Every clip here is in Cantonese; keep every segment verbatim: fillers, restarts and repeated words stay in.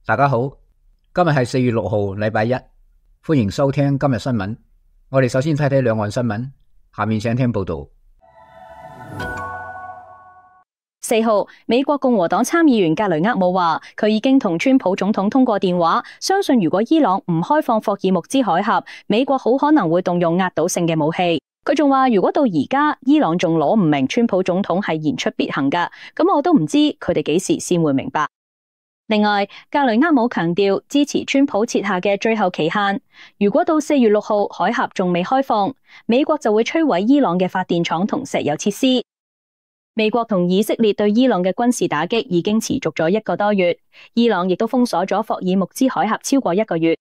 大家好，今日係四月六號，禮拜一，歡迎收聽今日新聞。我哋首先睇睇兩岸新聞，下面請聽報道。四號，美國共和黨參議員格雷厄姆話，佢已經同川普總統通過電話，相信如果伊朗唔開放霍爾木茲海峽，美國好可能會動用壓倒性嘅武器。佢仲話，如果到而家伊朗仲攞唔明川普總統係言出必行㗎，咁我都唔知佢哋幾時先會明白。另外，格雷厄姆強調支持川普設下嘅最後期限，如果到四月六號海峽仲未開放，美國就會摧毀伊朗嘅發電廠同石油設施。美國同以色列對伊朗嘅軍事打擊已經持續咗一個多月，伊朗亦都封鎖咗霍爾木茲海峽超過一個月。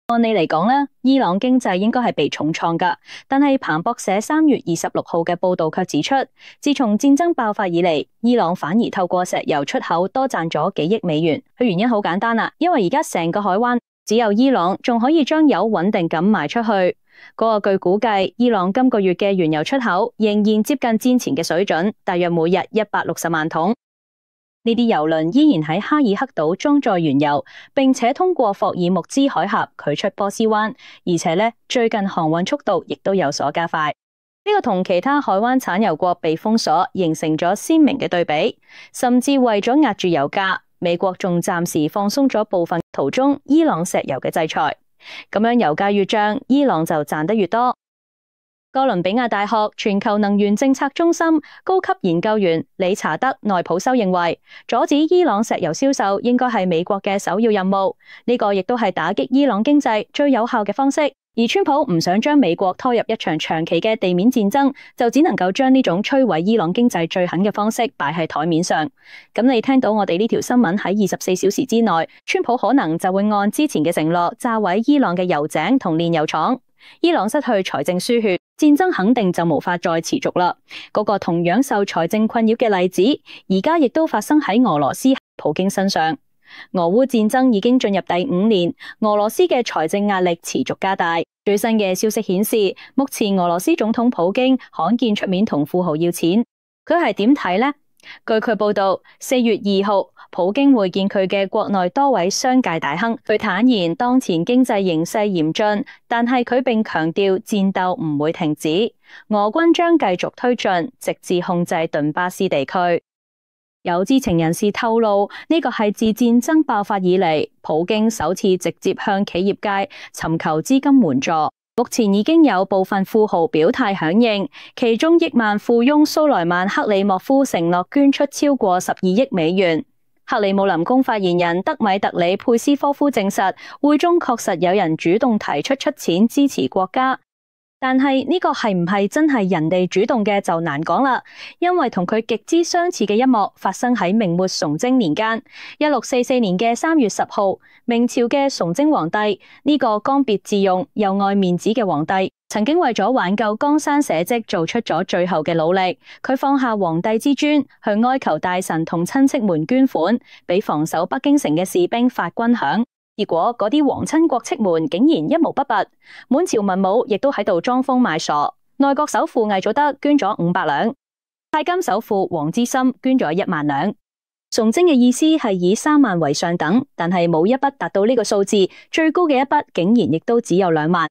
按理嚟講呢，伊朗經濟應該係被重創㗎，但係彭博社三月二十六號嘅報道卻指出，自從戰爭爆發以嚟，伊朗反而透過石油出口多賺咗幾億美元。佢原因好簡單啦，因為而家成個海灣只有伊朗仲可以將油穩定咁賣出去。嗰個據估計，伊朗今個月嘅原油出口仍然接近戰前嘅水準，大約每日一百六十萬桶。呢啲油輪依然喺哈爾克島裝載原油，並且通過霍爾木茲海峽驅出波斯灣，而且呢，最近航運速度亦都有所加快。呢個同其他海灣產油國被封鎖形成咗鮮明嘅對比，甚至為咗壓住油價，美國仲暫時放鬆咗部分途中伊朗石油嘅制裁。咁樣油價越漲，伊朗就賺得越多。哥倫比亞大學全球能源政策中心高級研究員理查德內普修認為，阻止伊朗石油銷售應該係美國嘅首要任務，呢個亦都係打擊伊朗經濟最有效嘅方式。而川普唔想將美國拖入一場長期嘅地面戰爭，就只能夠將呢種摧毀伊朗經濟最狠嘅方式擺喺台面上。咁你聽到我哋呢條新聞喺二十四小時之內，川普可能就會按之前嘅承諾炸毀伊朗嘅油井同煉油廠。伊朗失去財政輸血，戰爭肯定就無法再持續啦。嗰個同樣受財政困擾嘅例子，而家亦都發生喺俄羅斯普京身上。俄烏戰爭已經進入第五年，俄羅斯嘅財政壓力持續加大。最新嘅消息顯示，目前俄羅斯總統普京罕見出面同富豪要錢。佢係點睇呢？據佢報道，四月二號，普京會見佢嘅國內多位商界大亨。佢坦言，當前經濟形勢嚴峻，但係佢並強調戰鬥唔會停止，俄軍將繼續推進，直至控制頓巴斯地區。有知情人士透露，呢個係自戰爭爆發以嚟，普京首次直接向企業界尋求資金援助。目前已經有部分富豪表態響應，其中億萬富翁蘇萊曼克里莫夫承諾捐出超過十二億美元。克里姆林宮發言人德米特里佩斯科夫證實，會中確實有人主動提出出錢支持國家。但係呢個係唔係真係人哋主動嘅就難講啦，因為同佢極之相似嘅一幕發生喺明末崇禎年間，一六四四年嘅三月十號，明朝嘅崇禎皇帝，呢個剛愎自用又愛面子嘅皇帝，曾經為咗挽救江山社稷做出咗最後嘅努力，佢放下皇帝之尊，去哀求大臣同親戚們捐款，俾防守北京城嘅士兵發軍餉。結果嗰啲皇親國戚們竟然一毛不拔，滿朝文武亦都喺度裝瘋賣傻。內閣首輔魏祖德捐咗五百兩，太監首輔王之森捐咗一萬兩。崇禎嘅意思係以三萬為上等，但係冇一筆達到呢個數字，最高嘅一筆竟然亦都只有兩萬，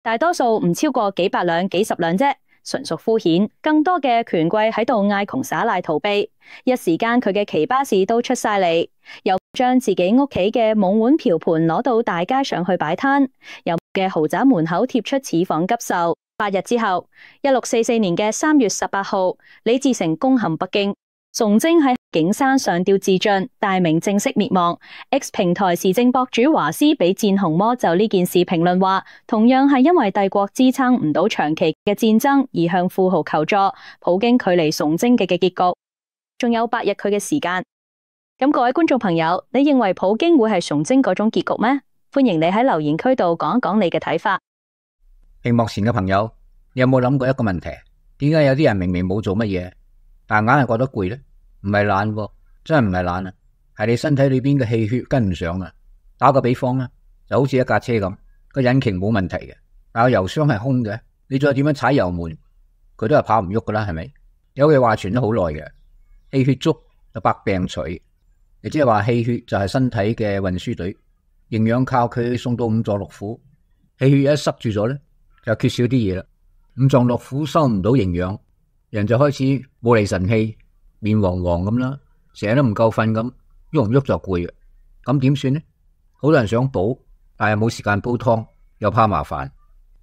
大多數唔超過幾百兩、幾十兩啫，純屬敷衍。更多嘅權貴喺度嗌窮耍賴逃避，一時間佢嘅奇巴士都出晒嚟。又將自己屋企嘅懵碗瓢盤攞到大街上去擺攤，有嘅豪宅門口貼出此房急售。八日之後，一六四四年嘅三月十八號，李自成攻陷北京，崇禎喺景山上吊自盡，大明正式滅亡。X 平台時政博主華師俾戰紅魔就呢件事評論話，同樣係因為帝國支撐唔到長期嘅戰爭而向富豪求助，普京距離崇禎嘅嘅結局仲有八日佢嘅時間。咁各位觀眾朋友，你認為普京會係崇禎嗰種結局咩？歡迎你喺留言區度講一講你嘅睇法。屏幕前嘅朋友，你有冇諗過一個問題？點解有啲人明明冇做乜嘢，但硬係覺得攰呢？唔係懶喎，真係唔係懶啊，係你身體裏邊嘅氣血跟唔上啊。打個比方啦，就好似一架車咁，個引擎冇問題嘅，但係油箱係空嘅，你再點樣踩油門，佢都係跑唔喐噶啦，係咪？有句話傳咗好耐嘅，氣血足就百病除。亦即係話氣血就係身體嘅運輸隊，營養靠佢送到五臟六腑。氣血一塞住咗咧，就缺少啲嘢啦。五臟六腑收唔到營養，人就開始冇厘神氣，面黃黃咁啦，成日都唔夠瞓咁，喐唔喐就攰嘅。咁點算呢？好多人想補，但係冇時間煲湯，又怕麻煩。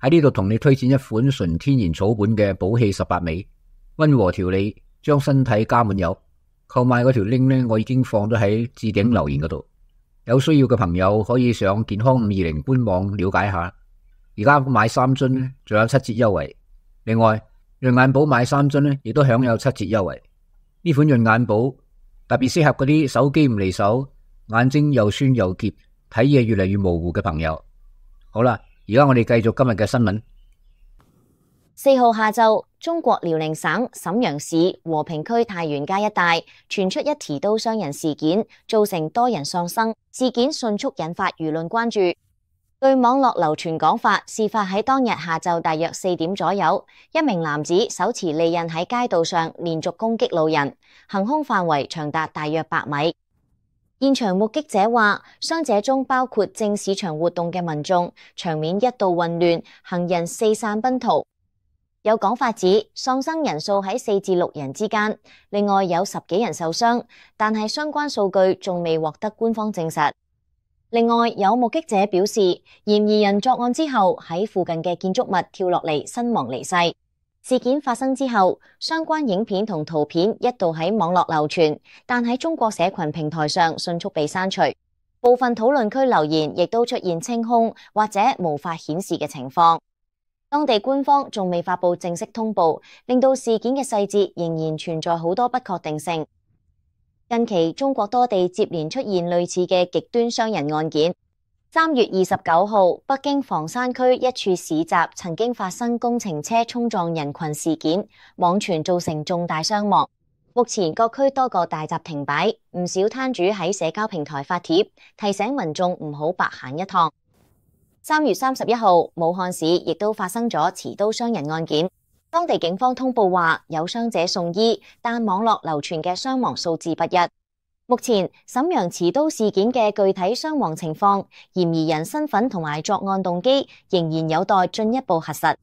喺呢度同你推薦一款純天然草本嘅補氣十八味，溫和調理，將身體加滿油。購買嗰條 link 呢，我已經放咗喺置頂留言嗰度，有需要嘅朋友可以上健康五二零官網了解下。而家買三樽呢，仲有七折優惠。另外，潤眼寶買三樽呢，亦都享有七折優惠。呢款潤眼寶特別適合嗰啲手機唔離手，眼睛又酸又澀，睇嘢越嚟越模糊嘅朋友。好啦，而家我哋繼續今日嘅新聞。四號下晝，中國遼寧省瀋陽市和平區太原街一帶傳出一持刀傷人事件，造成多人喪生。事件迅速引發輿論關注。據網絡流傳講法，事發喺當日下晝大約四點左右，一名男子手持利刃喺街道上連續攻擊路人，行兇範圍長達大約百米。現場目擊者話，傷者中包括正市場活動嘅民眾，場面一度混亂，行人四散奔逃。有講法指喪生人數喺四至六人之間，另外有十幾人受傷，但係相關數據仲未獲得官方證實。另外有目擊者表示，嫌疑人作案之後喺附近嘅建築物跳落嚟身亡離世。事件發生之後，相關影片同圖片一度喺網絡流傳，但喺中國社群平台上迅速被刪除。部分討論區留言亦都出現清空或者無法顯示嘅情況。當地官方仲未發佈正式通報，令到事件嘅細節仍然存在好多不確定性。近期中國多地接連出現類似嘅極端傷人案件。三月二十九號，北京房山區一處市集曾經發生工程車衝撞人群事件，網傳造成重大傷亡。目前各區多個大閘停擺，唔少攤主喺社交平台發帖，提醒民眾唔好白行一趟。三月三十一號，武漢市亦都發生咗持刀傷人案件。當地警方通報話有傷者送醫，但網絡流傳嘅傷亡數字不一。目前瀋陽持刀事件嘅具體傷亡情況、嫌疑人身份同埋作案動機仍然有待進一步核實。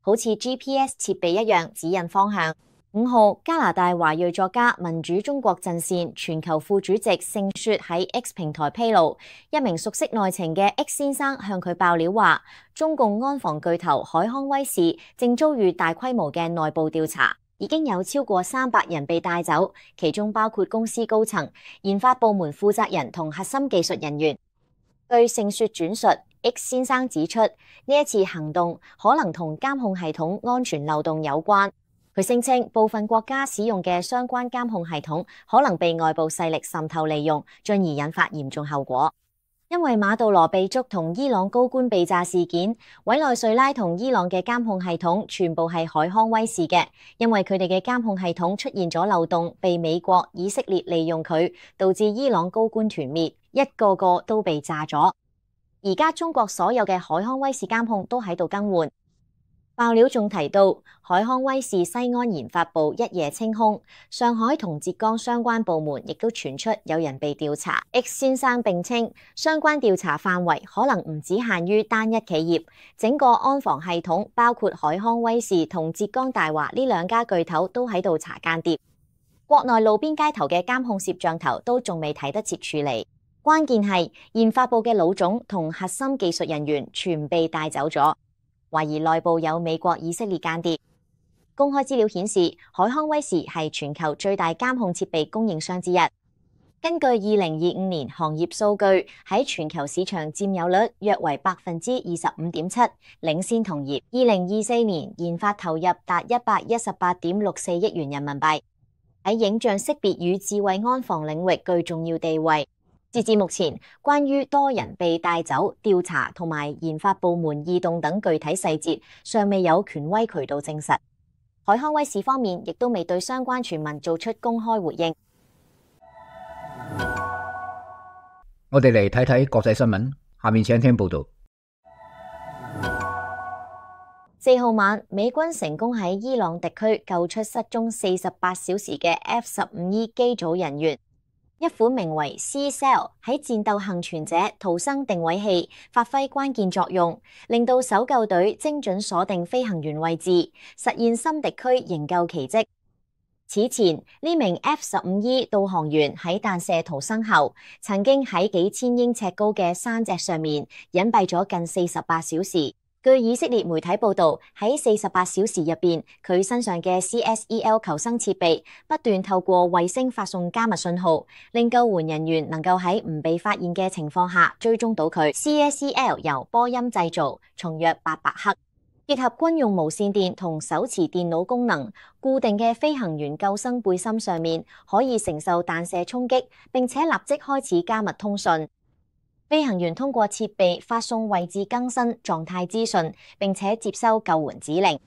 好似 G P S 設備一樣指引方向。五號，加拿大華裔作家民主中國陣線全球副主席盛雪喺 X 平台披露，一名熟悉內情嘅 X 先生向佢爆料話，中共安防巨頭海康威視正遭遇大規模嘅內部調查，已經有超過三百人被帶走，其中包括公司高層、研發部門負責人同核心技術人員。據盛雪轉述， X 先生指出，呢一次行動可能同監控系統安全漏洞有關。佢聲稱部分國家使用嘅相關監控系統可能被外部勢力滲透利用，進而引發嚴重後果。因為馬杜羅被捉同伊朗高官被炸事件，委內瑞拉同伊朗嘅監控系統全部係海康威視嘅，因為佢哋嘅監控系統出現咗漏洞，被美國、以色列利用佢，導致伊朗高官團滅，一個個都被炸咗。而家中國所有嘅海康威視監控都喺度更換。爆料仲提到，海康威視西安研發部一夜清空，上海同浙江相關部門亦都傳出有人被調查。X 先生並稱，相關調查範圍可能唔只限於單一企業，整個安防系統包括海康威視同浙江大華呢兩家巨頭都喺度查間諜。國內路邊街頭嘅監控攝像頭都仲未睇得切處理，關鍵係研發部嘅老總同核心技術人員全被帶走咗。懷疑內部有美國、以色列間諜。公開資料顯示，海康威視係全球最大監控設備供應商之一。根據二零二五年行業數據，喺全球市場佔有率約為百分之二十五點七，領先同業。二零二四年研發投入達一百一十八點六四億元人民幣，喺影像識別與智慧安防領域具重要地位。截至目前，關於多人被帶走、調查同埋研發部門異動等具體細節，尚未有權威渠道證實。海康威視方面亦都未對相關傳聞做出公開回應。我哋嚟睇睇國際新聞，下面請聽報道。四號晚，美軍成功喺伊朗敵區救出失蹤四十八小時嘅 F 十五 E 機組人員。一款名為 C-Cell 喺戰鬥幸存者逃生定位器發揮關鍵作用，令到搜救隊精準鎖定飛行員位置，實現深敵區營救奇蹟。此前，呢名 F 十五 E 導航員喺彈射逃生後，曾經喺幾千英尺高嘅山脊上面隱蔽咗近四十八小時。據以色列媒體報道，喺四十八小時入邊，佢身上嘅 C S E L 求生設備不斷透過衛星發送加密信號，令救援人員能夠喺唔被發現嘅情況下追蹤到佢。C S E L 由波音製造，重約八百克，結合軍用無線電同手持電腦功能，固定嘅飛行員救生背心上面可以承受彈射衝擊，並且立即開始加密通訊。飛行員通過設備發送位置更新狀態資訊，並且接收救援指令。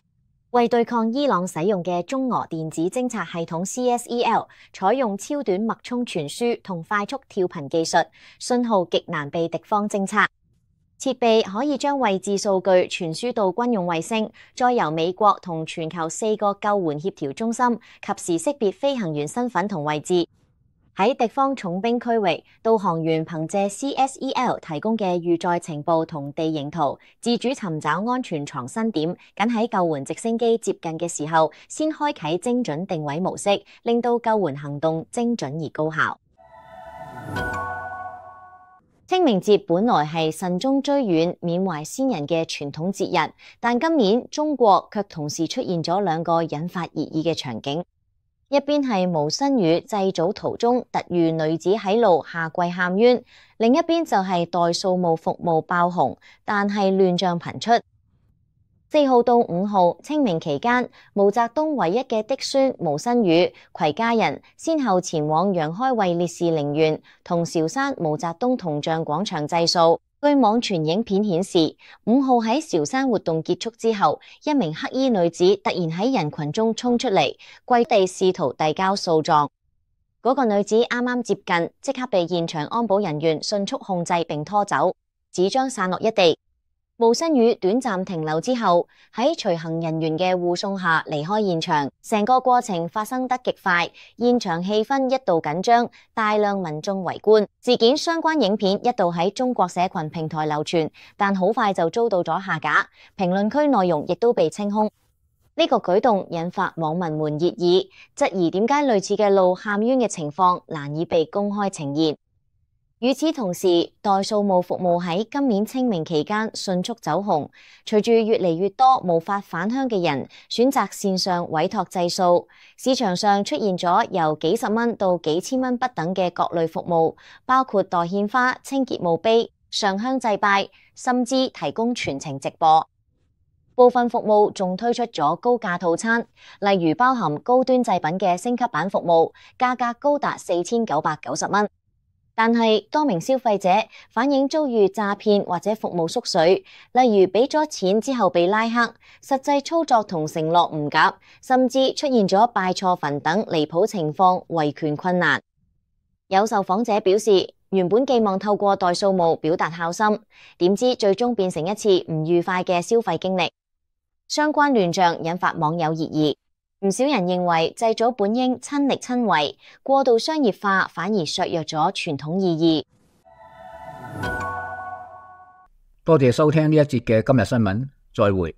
為對抗伊朗使用嘅中俄電子偵察系統 C S E L， 採用超短脈衝傳輸同快速跳頻技術，信號極難被敵方偵察。設備可以將位置數據傳輸到軍用衛星，再由美國同全球四個救援協調中心及時識別飛行員身份同位置。喺敵方重兵區域，導航員憑借 C S E L 提供嘅預載情報同地形圖，自主尋找安全藏身點，僅喺救援直升機接近嘅時候，先開啟精準定位模式，令到救援行動精準而高效。清明節本來係慎終追遠、緬懷先人嘅傳統節日，但今年中國卻同時出現咗兩個引發熱議嘅場景。一邊係無新雨祭祖途中突遇女子喺路下跪喊冤，另一邊就係代掃墓服務爆紅，但係亂象頻出。四號到五號清明期間，毛澤東唯一嘅嫡孫毛新宇攜家人先後前往楊開慧烈士陵園同韶山毛澤東銅像廣場祭掃。據網傳影片顯示，五號喺韶山活動結束之後，一名黑衣女子突然喺人群中衝出嚟，跪地試圖遞交訴狀。嗰個女子啱啱接近，即刻被現場安保人員迅速控制並拖走，紙張散落一地。毛新宇短暫停留之後，喺隨行人員嘅護送下離開現場，成個過程發生得極快，現場氣氛一度緊張，大量民眾圍觀。事件相關影片一度喺中國社群平台流傳，但好快就遭到咗下架，評論區內容亦都被清空。呢個舉動引發網民們熱議，質疑點解類似嘅路喊冤嘅情況難以被公開呈現。與此同時，代掃墓服務喺今年清明期間迅速走紅，隨住越嚟越多無法返鄉嘅人選擇線上委託祭掃，市場上出現咗由幾十蚊到幾千蚊不等嘅各類服務，包括代獻花、清潔墓碑、上香祭拜，甚至提供全程直播。部分服務仲推出咗高價套餐，例如包含高端祭品嘅升級版服務，價格高達四千九百九十蚊。但係多名消費者反映遭遇詐騙或者服務縮水，例如俾咗錢之後被拉黑，實際操作同承諾唔夾，甚至出現咗拜錯墳等離譜情況，維權困難。有受訪者表示，原本寄望透過代掃墓表達孝心，點知最終變成一次唔愉快嘅消費經歷。相關亂象引發網友熱議。唔少人認為祭祖本應親力親為，過度商業化反而削弱咗傳統意義。多謝收聽呢一節嘅今日新聞，再會。